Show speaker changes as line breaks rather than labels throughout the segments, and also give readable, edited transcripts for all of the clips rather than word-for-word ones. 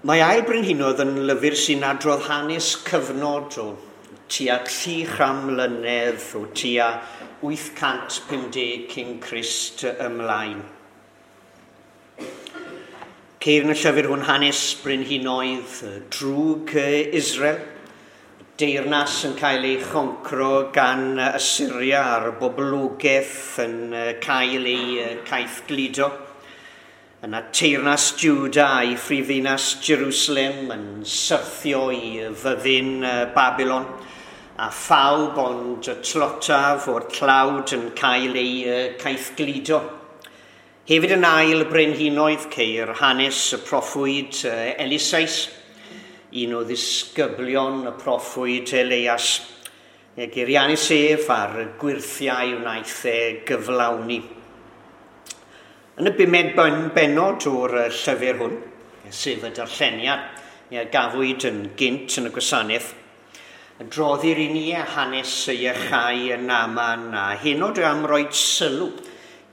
Mae Ail Brenhinoedd yn lyfr sy'n adrodd hanes cyfnod o tua 300 mlynedd o tua 850 cyn Crist ymlaen. Ceir yn y llyfr hwn hanes brenhinoedd drwg Israel, deyrnas yn cael ei choncro gan Assyria a'r boblogaeth yn cael ei caethgludo. Yna teyrnas Juda a'i phrifddinas Jerusalem yn syrthio i fyddin Babylon, a phawb ond y tlotaf o'r tlawd yn cael ei caethgludo. Hefyd yn Ail Brenhinoedd ceir hanes y proffwyd Elisais, un o ddisgyblion y proffwyd Elias, geirianus ef a'r gwyrthiau wnaeth e gyflawni. Yn y bumed bennod o'r llyfr hwn, sef y darlleniad gafwyd yn gynt yn y gwasanaeth, adroddir i ni hanes y iachau yn Naaman a heno dwi am roi sylw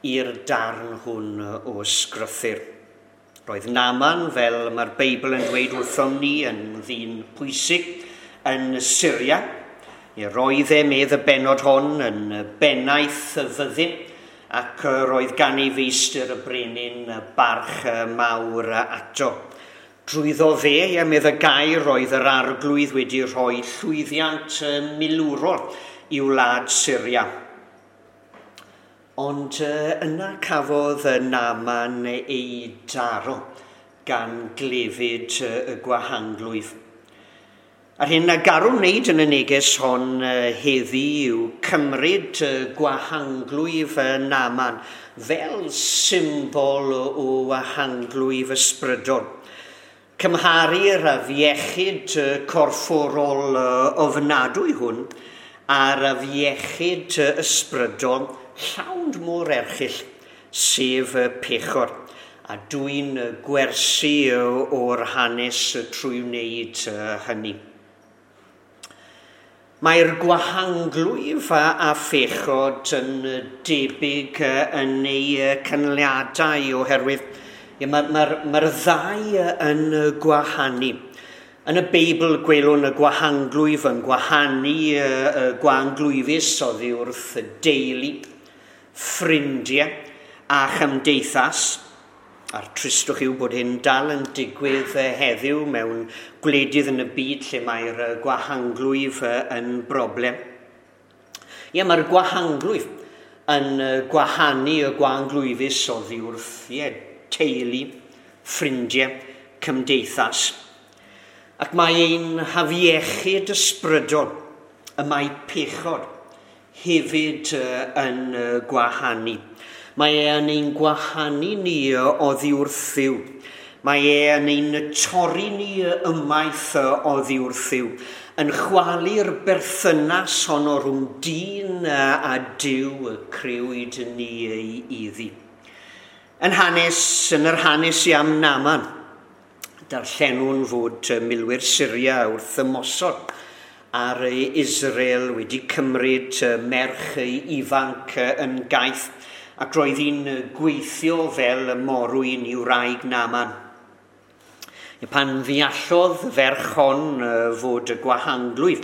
i'r darn hwn o ysgrythur. Roedd Naaman, fel mae'r Beibl yn dweud wrthom ni, yn ddyn pwysig yn Syria. Roedd e, medd y bennod hon, yn bennaeth y fyddin, ac roedd gan ei feistr y brenin barch mawr ato. Drwyddo fe, medd y gair, roedd yr arglwydd wedi rhoi llwyddiant milwrol i wlad Syria. Ond yna cafodd Naaman ei daro gan glefyd y gwahanglwyf. A'r hyn a garwn wneud yn y neges hon heddi yw cymryd gwahanglwyf Naaman fel symbol o wahanglwyf ysbrydol. Cymharu'r afiechyd corfforol ofnadwy hwn a'r afiechyd ysbrydol llawn mor erchyll, sef pechod, a dwyn gwersi o'r hanes trwy wneud hynny. Mae'r gwahanglwyf a phechod yn debyg yn ei canlyniadau oherwydd mae'r ddau yn gwahanu. Yn y Beibl gwelwn y gwahanglwyf yn gwahanu y gwahanglwyfus oddi wrth y deulu, ffrindiau a chymdeithas. A'r tristwch yw bod hyn dal yn digwydd heddiw mewn gwledydd yn y byd lle mae'r gwahanglwyf yn broblem. Ie, mae'r gwahanglwyf yn gwahanu y gwahanglwyfus oddi wrth teulu, ffrindiau, cymdeithas. Ac mae ein hafiechyd ysbrydol, y mae pechod hefyd yn gwahanu. Mae e yn ein gwahanu ni oddi wrth Dduw. Mae e yn ein torri ni ymaith oddi wrth Dduw. Yn chwalu'r berthynas honno rhwng dyn a Duw y crëwyd ni iddi. Yn yr hanes i am Naaman, darllenwn fod milwyr Syria wrth ymosod ar Israel wedi cymryd merch ifanc yn gaeth, ac roedd hi'n gweithio fel morwyn i wraig Naaman. Pan ddeallodd ferch hon fod y gwahanglwyf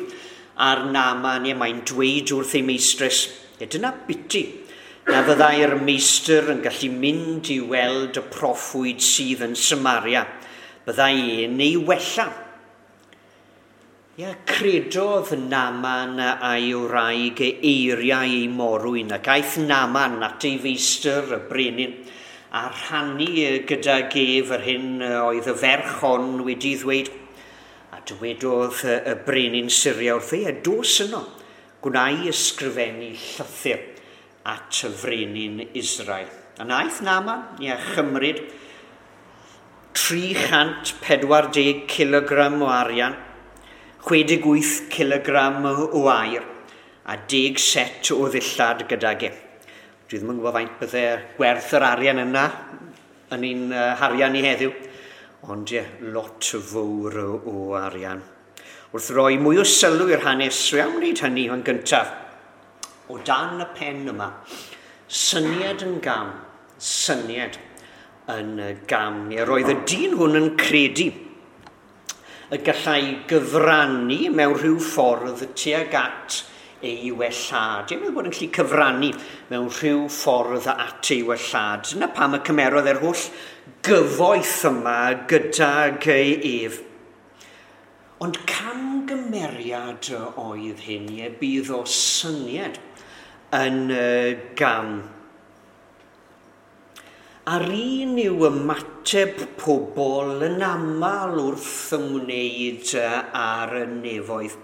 ar Naaman, mae'n dweud wrth ei meistres, dyna biti, na fyddai'r meistr yn gallu mynd i weld y proffwyd sydd yn Samaria, byddai e'n ei wella. Credodd Naaman a'i wraig eiriau ei morwyn, ac aeth Naaman at ei feistr y brenin, a rhannu gydag ef yr hyn oedd y ferch hon wedi ddweud. A dywedodd y brenin Syria wrth ei, dos yno, gwnai ysgrifennu llythyr at y frenin Israel. A naeth Naaman chymryd 340 kilogram o arian, 68 kilogram o aur a 10 set o ddillad gydag e. Dwi ddim yn gwybod faint bydde gwerth yr arian yna yn ein harian ni heddiw, ond ie, lot fawr o arian. Wrth roi mwy o sylw i'r hanes, dwi am wneud hynny yn gyntaf. O dan y pen yma, syniad yn gam, syniad yn gam. Roedd y dyn hwn yn credu y gallai gyfrannu mewn rhyw ffordd tuag at ei wellhad. I'n meddwl bod yn gallu cyfrannu mewn rhyw ffordd at ei wellhad. Dyna pam y cymerodd yr holl gyfoeth yma gydag ef. Ond camgymeriad oedd hyn, ie, bydd o syniad yn gam. A'r un yw ymateb pobl yn aml wrth ymwneud â'r nefoedd.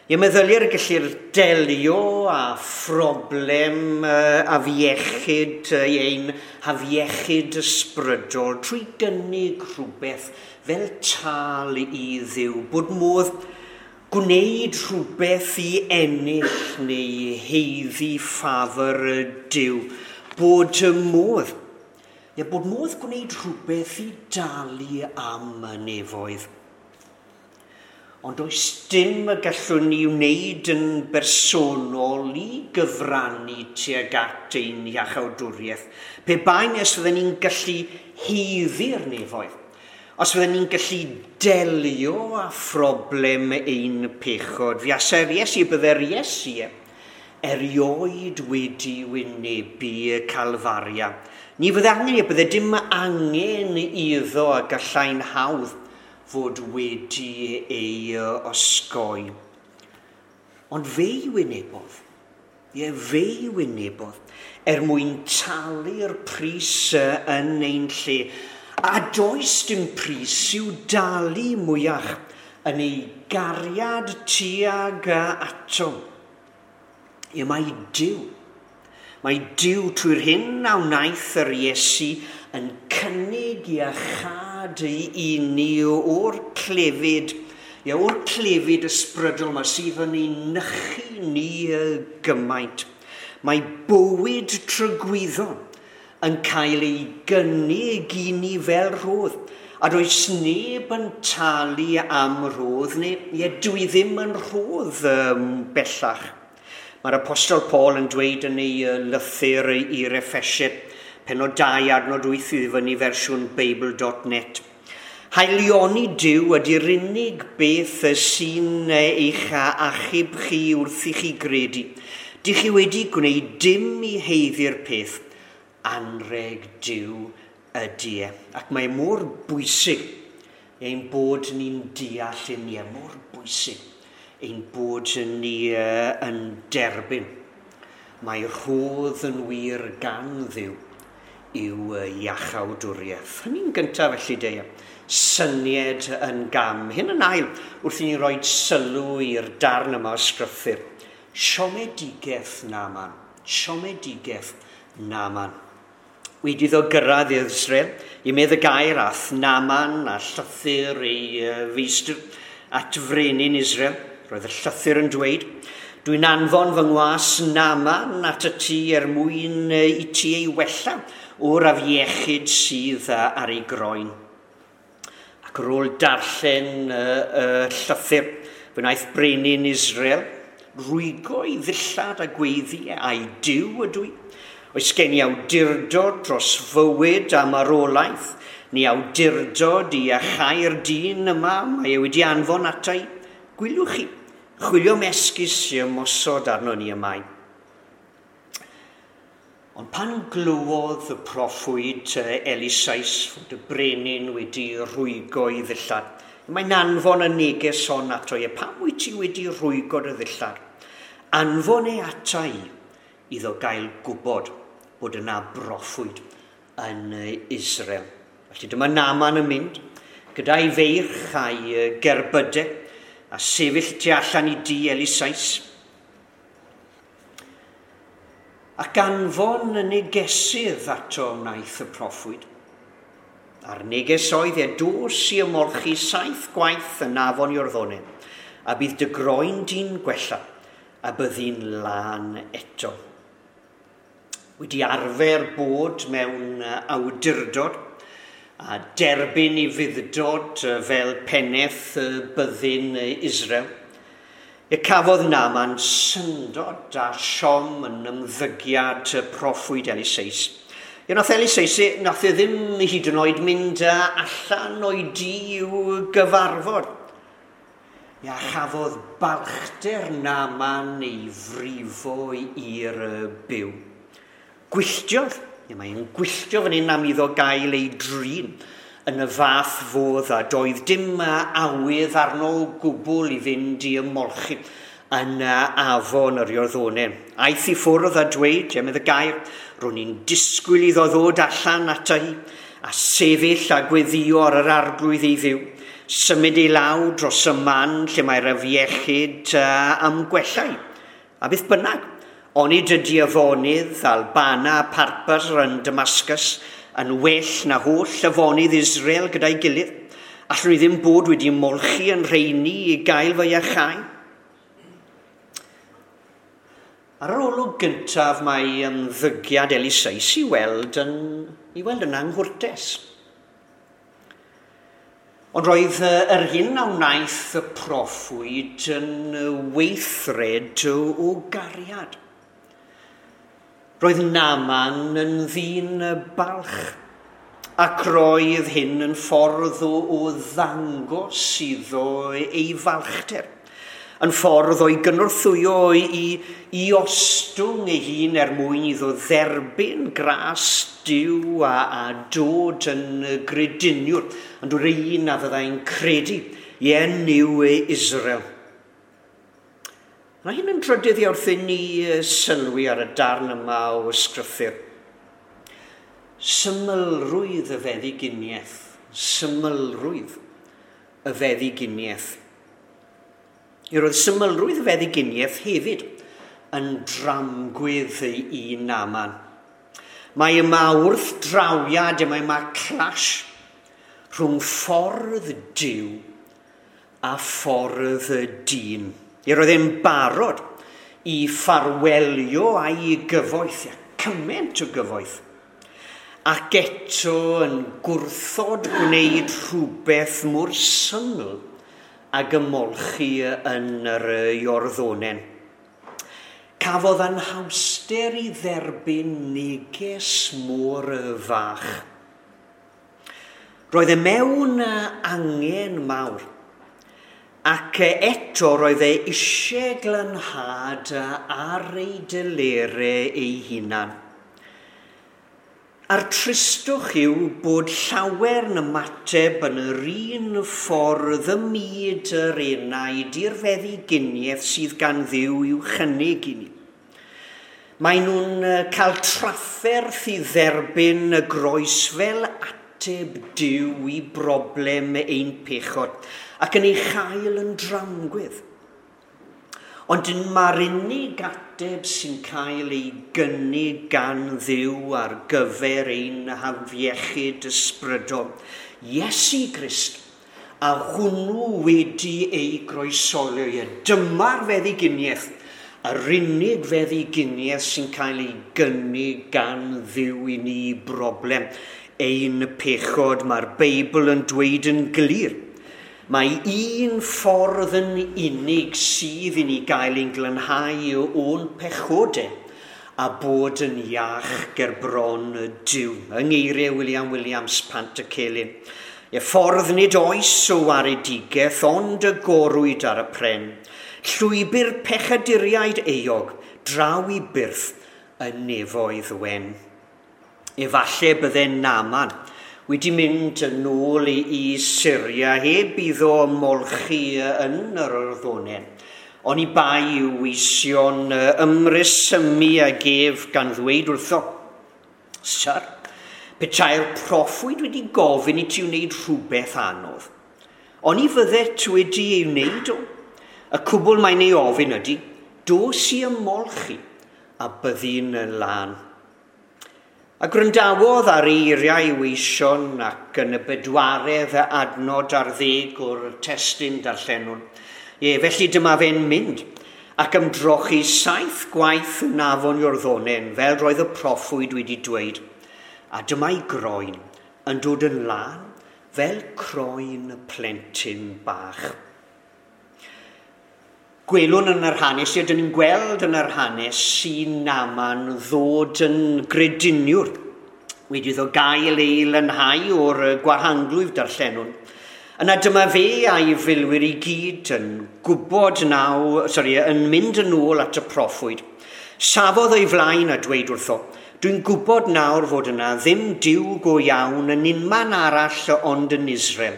Ie, meddylier y gellir delio â phroblem afiechyd, ein hafiechyd ysbrydol trwy gynnig rhywbeth fel tâl i Dduw, bod modd gwneud rhywbeth i ennill neu haeddu ffafr Duw, bod modd. Ie, bod modd gwneud rhywbeth i dalu am y nefoedd. Ond oes dim y gallwn ni wneud yn bersonol i gyfrannu tuag at ein iachawdwriaeth. Pe bai nes fydden ni'n gallu haeddu'r nefoedd, os fydden ni'n gallu delio â phroblem ein pechod, fuasai'r Iesu, bydde'r Iesu erioed wedi wynebu Calfaria. Ni fydde angen, bydde dim angen iddo a gallai'n hawdd fod wedi ei osgoi. Ond fe'i wynebodd, ie, fe'i wynebodd, er mwyn talu'r pris yn ein lle. A does dim pris i'w dalu mwyach yn ei gariad tuag ato. Ie, mae Duw. Mae Duw trwy'r hyn a wnaeth yr Iesu yn cynnig iachâd i ni o'r clefyd, ie, o'r clefyd ysbrydol yma sydd yn ei nychu ni gymaint. Mae bywyd tragwyddol yn cael ei gynnig i ni fel rhodd. A does neb yn talu am rhodd, neu ie, dwi ddim yn rhodd bellach. Mae'r Apostol Paul yn dweud yn ei lythyr i'r Effesiaid, pennod 2 adnod 8 i fyny fersiwn Beibl.net. Haelioni Duw ydy'r unig beth sy'n eich achub chi wrth i chi gredu. Dych chi wedi gwneud dim i haeddu'r peth. Anrheg Duw ydy e. Ac mae mor bwysig ein bod ni'n deall hyn, ie, mor bwysig ein bod ni yn derbyn. Mae rhodd yn wir gan Dduw yw iachawdwriaeth. Hynny'n gyntaf felly de, syniad yn gam. Hyn yn ail, wrth i ni roi sylw i'r darn yma o sgrythyr. Siomedigaeth Naaman. Siomedigaeth Naaman. Wedi iddo gyrraedd i Israel, i medd y gair ath Naaman a llythyr ei feistr at frenin Israel. Roedd y llythyr yn dweud, dwi'n anfon fy ngwas Naaman at y tŷ er mwyn i ti ei wella o'r afiechyd sydd ar ei groen. Ac ar ôl darllen y llythyr, fe wnaeth brenin Israel rwygo ei ddillad a gweiddi a'i Duw ydw i. Oes gen i awdurdod dros fywyd a marwolaeth, ni awdurdod i achau'r dyn yma, mae e wedi anfon ata i. Gwylwch chi, chwilio am esgus i ymosod arno ni y mae. Ond pan glywodd y proffwyd Elisais fod y brenin wedi rhwygo ei ddillad, mae'n anfon y neges hon ato i. Pam wyt ti wedi rhwygo dy ddillad? Anfon e ata i iddo gael gwybod bod yna broffwyd yn Israel. Felly dyma Naaman yn mynd gyda'i feirch a'i gerbydau a sefyll tu allan i dŷ Elisais. Ac anfon y negesydd ato wnaeth y proffwyd. A'r neges oedd e, dos i ymolchi 7 gwaith yn afon Iorddonen, a bydd dy groen di'n gwella, a byddi'n lân eto. Wedi arfer bod mewn awdurdod, a derbyn i fuddod fel pennaeth byddin Israel, y cafodd Naaman syndod a siom yn ymddygiad proffwyd Elisais. Ie, nath Elisais, nath e ddim hyd yn oed mynd allan o'i dŷ i'w gyfarfod. Ia chafodd balchder Naaman ei frifo i'r byw. Gwylltiodd, ia mae'n gwylltio fan hyn am iddo gael ei drin yn y fath fodd a doedd dim awydd arno o gwbl i fynd i ymolchi yn afon yr Iorddonen. Aeth i ffwrdd a dweud, ia medd y gair, ro'n i'n disgwyl iddo ddod allan ata i a sefyll a gweddio ar yr arglwydd ei ddiw, symud ei law dros y man lle mae'r afiechyd am gwellau. A beth bynnag, onid ydy afonydd Albana a Parpar yn Damascus yn well na holl afonydd Israel gyda'i gilydd. Allwn ni ddim bod wedi molchi yn rheini i gael fy iachau. Ar yr olwg gyntaf mae ymddygiad Eliseus i weld yn anghwrtes. Ond roedd yr hyn a wnaeth y proffwyd yn weithred o gariad. Roedd Naaman yn ddyn balch, ac roedd hyn yn ffordd o ddangos iddo ei falchder, yn ffordd o'i gynorthwyo i ostwng ei hun er mwyn iddo dderbyn gras Duw a dod yn grediniwr, yn dod un a fyddai'n credu i enw Israel. Mae hyn yn drydydd i wrth i ni sylwi ar y darn yma o ysgrythur. Symlrwydd y feddyginiaeth. Symlrwydd y feddyginiaeth. Roedd symlrwydd y feddyginiaeth hefyd yn dramgwydd i Naaman. Mae yma wrthdrawiad, mae yma clash rhwng ffordd Duw a ffordd dyn. Roedd e'n barod i ffarwelio a'i gyfoeth, cymaint o gyfoeth, ac eto yn gwrthod gwneud rhywbeth mor syml ag ymolchi yn yr Iorddonen. Cafodd anhawster i dderbyn neges mor fach. Roedd e mewn angen mawr, ac eto roedd e eisiau glanhad ar ei delere ei hunan. A'r tristwch yw bod llawer yn ymateb yn yr un ffordd ym myd yr enaid i'r feddyginiaeth sydd gan Dduw i'w chynnig i ni. Maen nhw'n cael trafferth i dderbyn y groes fel ateb Duw i broblem ein pechod, ac yn ei chael yn dramgwydd. Ond mae'r unig ateb sy'n cael ei gynnig gan Dduw ar gyfer ein hafiechyd ysbrydol, Iesu Grist, a hwnnw wedi ei groesoli. Dyma'r feddyginiaeth, yr unig feddyginiaeth sy'n cael ei gynnig gan Dduw i ni broblem ein pechod. Mae'r Beibl yn dweud yn glir. Mae un ffordd yn unig sydd i ni gael ein glanhau o'n pechodau a bod yn iach ger bron Duw. Yng ngeiriau William Williams, Pantycelyn. Y ffordd nid oes o waredigaeth ond y gorwyd ar y pren. Llwybr pechaduriaid euog, draw i byrth y nefoedd wen. Efallai bydde Naaman wedi mynd yn ôl i Syria heb iddo ymolchi yn yr Iorddonen. Oni bai i'w weision ymresymu ag ef gan ddweud wrtho, Syr, petai'r proffwyd wedi gofyn i ti wneud rhywbeth anodd. Oni fyddet wedi ei wneud o? Y cwbl mae'n ei ofyn ydy, dos i ymolchi a byddi'n lân. A gwrandawodd ar eiriau weision ac yn y bedwaredd adnod ar ddeg o'r testun darllenwn. Ie, felly dyma fe'n mynd ac ymdrochi 7 gwaith yn afon Iorddonen, fel roedd y proffwyd wedi dweud. A dyma'i groen yn dod yn lân fel croen plentyn bach. Gwelwn yn yr hanes, ydyn ni'n gweld yn yr hanes sy'n Naaman ddod yn grediniwr, wedi iddo gael ei lanhau o'r gwahanglwyf darllenwn. Yna dyma fe a'i filwyr i gyd yn gwybod yn mynd yn ôl at y proffwyd. Safodd o'i flaen a dweud wrtho, "Dwi'n gwybod nawr fod yna ddim Duw go iawn yn unman arall ond yn Israel.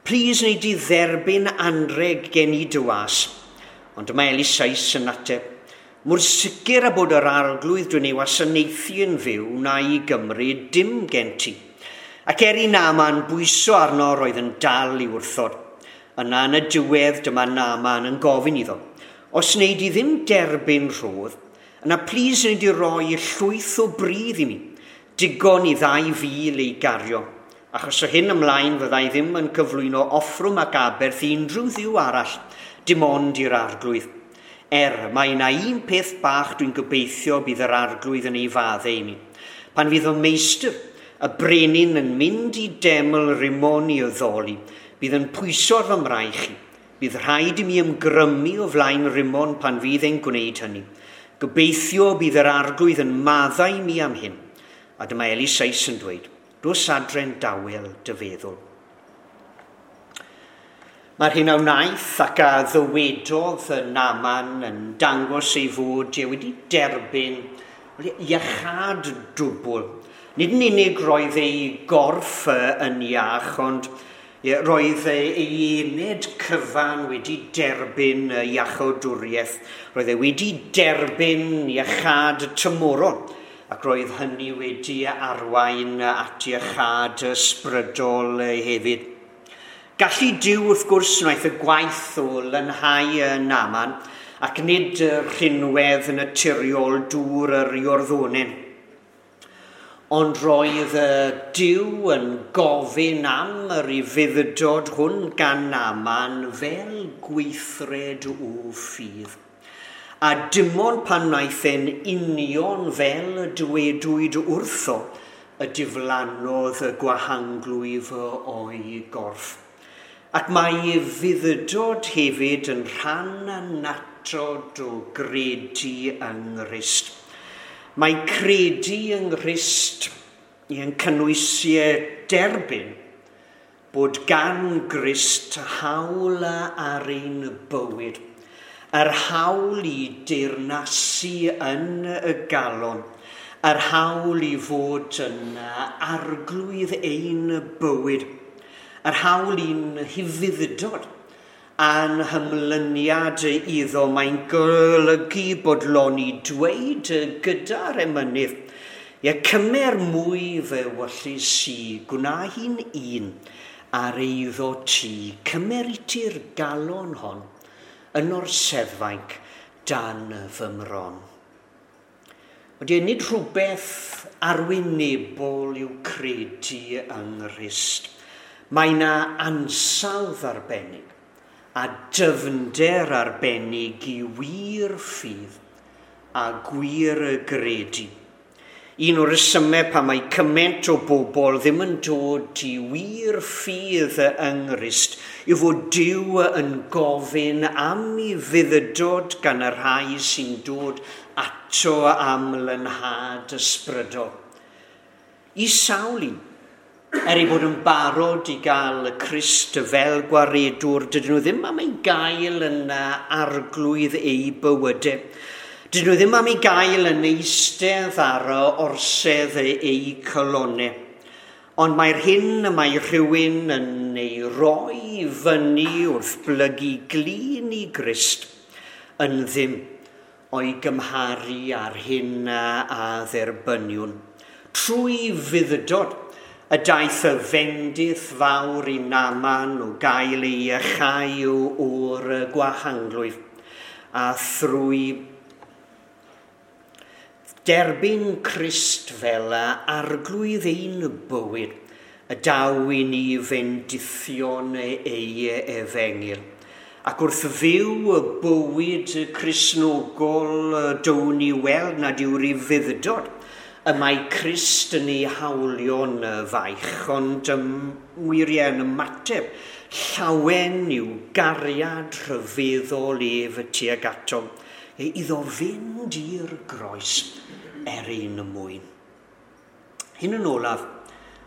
Plis wnei di dderbyn anreg gen i dy was." Ond dyma Eliseus yn ateb, "Mor sicr a bod yr arglwydd dwi'n ei wasanaethu yn fyw, wna i gymryd dim gen ti." Ac er i Naaman bwyso arno, roedd yn dal i wrthod. Yna yn y diwedd dyma Naaman yn gofyn iddo, "Os wnei di ddim derbyn rhodd, yna plis wnei di roi llwyth o bridd i mi, digon i 2,000 ei gario. Achos o hyn ymlaen fyddai ddim yn cyflwyno offrwm ac aberth i unrhyw dduw arall, dim ond i'r arglwydd. Er, mae yna un peth bach dwi'n gobeithio bydd yr arglwydd yn ei faddau i mi. Pan fydd fy meistr, y brenin, yn mynd i deml Rimon i addoli, bydd yn pwyso ar fy mraich i. Bydd rhaid i mi ymgrymu o flaen Rimon pan fydd e'n gwneud hynny. Gobeithio bydd yr arglwydd yn maddau mi am hyn." A dyma Eliseus yn dweud, "Dos adre'n dawel dy feddwl." Mae'r hyn a wnaeth ac a ddywedodd Naaman yn dangos ei fod e wedi derbyn iachâd dwbl. Nid yn unig roedd ei gorff yn iach, ond roedd ei ened cyfan wedi derbyn iachawdwriaeth. Roedd e wedi derbyn iachâd tymhorol, ac roedd hynny wedi arwain at iachâd ysbrydol hefyd. Gallu Duw, wrth gwrs, wnaeth y gwaith o lanhau Naaman, ac nid rhinwedd naturiol dŵr yr Iorddonen. Ond roedd Duw yn gofyn am yr ufudd-dod hwn gan Naaman fel gweithred o ffydd. A dim ond pan wnaeth e'n union fel y dywedwyd wrtho, y diflannodd y gwahanglwyf o'i gorff. Ac mae ufudd-dod hefyd yn rhan annatod o gredu yng Nghrist. Mae credu yng Nghrist yn cynnwys derbyn bod gan Grist hawl ar ein bywyd, yr hawl i deyrnasu yn y galon, yr hawl i fod yn arglwydd ein bywyd, yr hawl i'n hufudd-dod a'n hymlyniad iddo. Mae'n golygu bodloni dweud gyda'r emynydd, "Ie, cymer mwy fy ewyllys i, gwna hi'n un ar eiddo ti, cymer i ti'r galon hon, yn orseddfainc dan fy mron." Wedi, nid rhywbeth arwynebol yw credu yng Nghrist. Mae yna ansawdd arbennig a dyfnder arbennig i wir ffydd a gwir gredu. Un o'r rhesymau pan mae cymaint o bobl ddim yn dod i wir ffydd yng Nghrist yw fod Duw yn gofyn am ufudd-dod gan y rhai sy'n dod ato am lanhad ysbrydol. I sawl un, er ei bod yn barod i gael y Crist fel gwaredwr, dydyn nhw ddim am ei gael yn arglwydd eu bywydau. Dydyn nhw ddim am ei gael yn eistedd ar orsedd eu calonnau. Ond mae'r hyn y mae rhywun yn ei roi fyny wrth blygu glin i Grist yn ddim o'i gymharu â'r hyn a dderbyniwn. Trwy ufudd-dod y daeth y fendith fawr i Naaman o gael ei iachau o'r gwahanglwyf, a thrwy derbyn Crist fel arglwydd ein bywyd, y daw i ni fendithion ei efengyl. Ac wrth fyw y bywyd Cristnogol, down ni weld nad yw'r ufudd-dod y mae Crist yn ei hawlio'n faich, ond wir yn ymateb llawen i'w gariad rhyfeddol ef tuag ato, iddo fynd i'r groes er ein mwyn. Hyn yn olaf,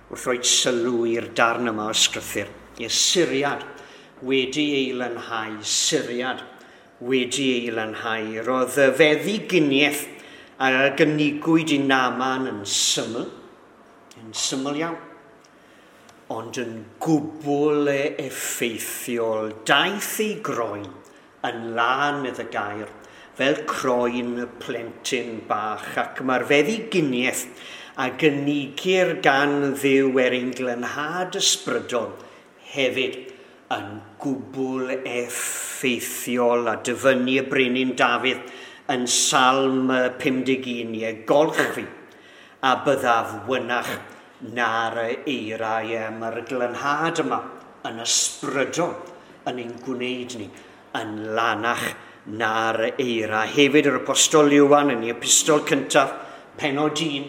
wrth roi sylw i'r darn yma o ysgrythur. Ie, Syriad wedi ei lanhau, Syriad wedi ei lanhau. Roedd y feddyginiaeth a gynigwyd i Naaman yn syml iawn, ond yn gwbl effeithiol. Daeth ei groen yn lân, medd y gair, fel croen y plentyn bach, ac mae'r feddyginiaeth a gynigir gan Dduw er ein glanhad ysbrydol hefyd yn gwbl effeithiol. A dyfynnu y brenin Dafydd yn Salm 51, ie, golch fi a byddaf wynach na'r eira. Ie, mae'r glanhad yma yn ysbrydol yn ein gwneud ni yn lanach na'r eira. Hefyd yr Apostol Ioan yn ei epistol cyntaf, pennod 1,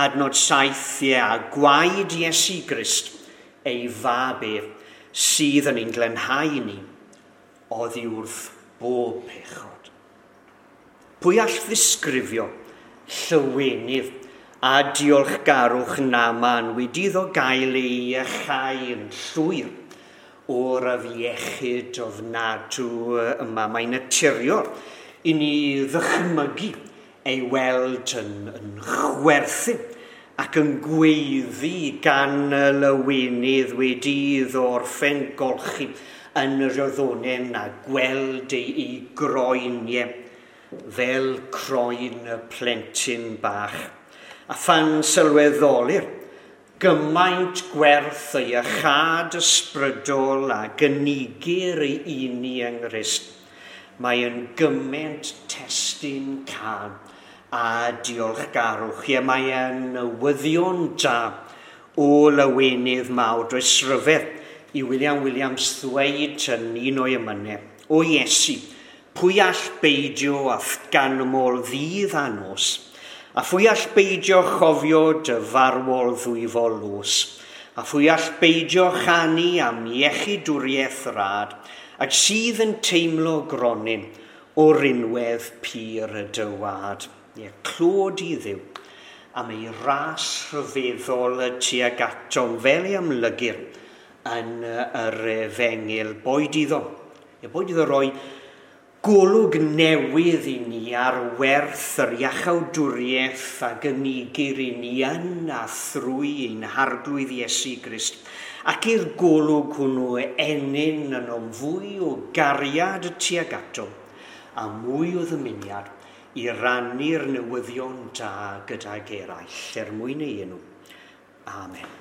adnod 7, ie, a gwaed Iesu Grist, ei fab ef, sydd yn ein glanhau ni oddi wrth bob pechod. Pwy all ddisgrifio llawenydd a diolchgarwch Naaman wedi iddo gael ei iachau yn llwyr o'r afiechyd ofnadw yma? Mae'n naturiol i ni ddychmygu ei weld yn chwerthin ac yn gweiddi gan y lawenydd wedi iddo orffen golchi yn yr iorddonen a gweld ei groen, ie, fel croen y plentyn bach. A phan sylweddolir gymaint gwerth ei iachâd ysbrydol a gynigir i ni yng Nghrist, mae yn gymaint testun cân a diolchgarwch. Ie, mae yn newyddion da o lawenydd mawr. Does ryfedd i William Williams ddweud yn un o'i emynau, o Iesu, pwy all beidio a ganmol ddydd a nos, a phwy all beidio chofio dy farwol ddwyfol los, a phwy all beidio chanu am iechydwriaeth rad, ac sydd yn teimlo gronyn o rinwedd pur y dywad. Ie, clod i Dduw am ei ras rhyfeddol tuag atom fel ei amlygir yn yr efengyl. Boed iddo, ie, boed iddo roi golwg newydd i ni ar werth yr iachawdwriaeth a gynigir i ni yn a thrwy ein Harglwydd Iesu Grist, ac i'r golwg hwnnw ennyn ynom fwy o gariad tuag ato a mwy o ddymuniad i rannu'r newyddion da gydag eraill er mwyn ei enw. Amen.